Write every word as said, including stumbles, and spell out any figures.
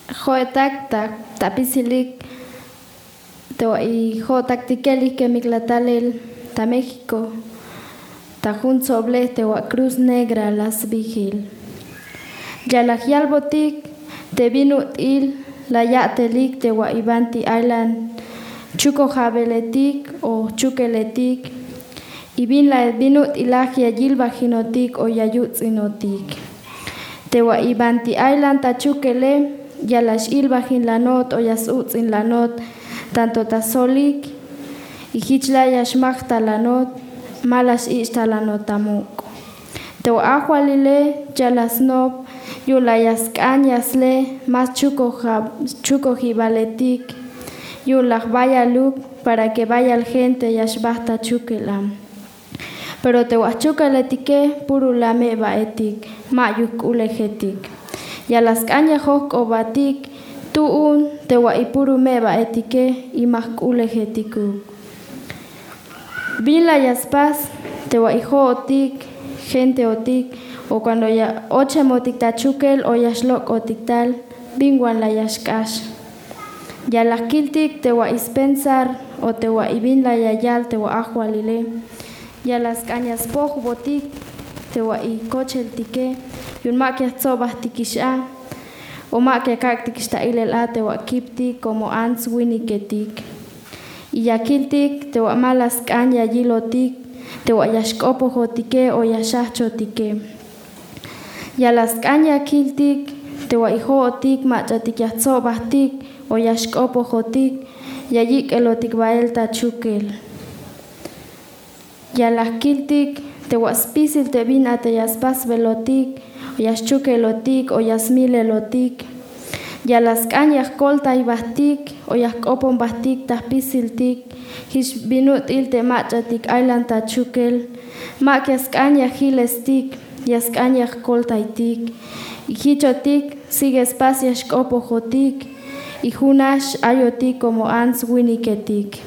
Jo'etak ta apisilik te wa' i jo'otaktike li' kemik la talel ta México, ta jun tsoblej te wa' Cruz Negra la sbijil. Ya la yalbotik te bin ut'il la ya'telik te wa' i banti aylan chukojabeletik o chukeletik, i bin la bin ut'ilaj ya yilbajinotik o ya yuts'inotik. Te wa' i banti aylan ta chukele ya la x'ilbajin lanot o ya s-uts'in lanot, tanto ta solik, i jich la ya xmaj ta lanot, ma la x'ich' ta lanot ta muk'. Te wa' ajwalile ya la snop yu'un la ya sk'an ya sle más chukojab- chukojibaletik, yu'un la jbayaluk para que bayal gente ya xbaj ta chukel a. Pero te wa' jchukeletike puro la meba'etik, ma yuj k'ulejetik. Ya la sk'an ya jojk'obatik tu'un te wa' i puro meba'etike i ma jk'ulejetikuk. Bin la ya spas te wa' i jo'otik, genteotik, o cuando ya ochemotik ta chukel o ya xlok'otik tal, bin wan la ya xk'ax. Ya la kiltik te wa' i spensar o te wa' i bin la ya yal te wa' ajwalile. Ya la sk'an ya spojbotik te wa' i kocheltike, yu'un ma ya jtsobajtikix a, o ma ya kak'tikix ta ilel a te wa' kiptik como ants winiketik. I ya kiltik te wa' ma la sk'an ya yilotik te wa' ya xk'opojotike o ya xajchotike. Ya la sk'an ya kiltik te wa' i jo'otik mach'atik ya jtsobajtik o ya xk'opojotik, ya yik'elotik bael ta chukel. Ya la kiltik te wa' spisil te bin a te ya spasbelotik o ya xchukelotik o ya smilelotik. Ya la sk'an ya jkoltaybajtik o ya jk'oponbajtik ta jpisiltik, jich bin ut'il te mach'atik aylan ta chukel. Ma ya sk'an ya jilestik, ya sk'an ya jkoltaytik. I jichotik sigue spas ya xk'opojotik, i junax ayotik como ants winiketik.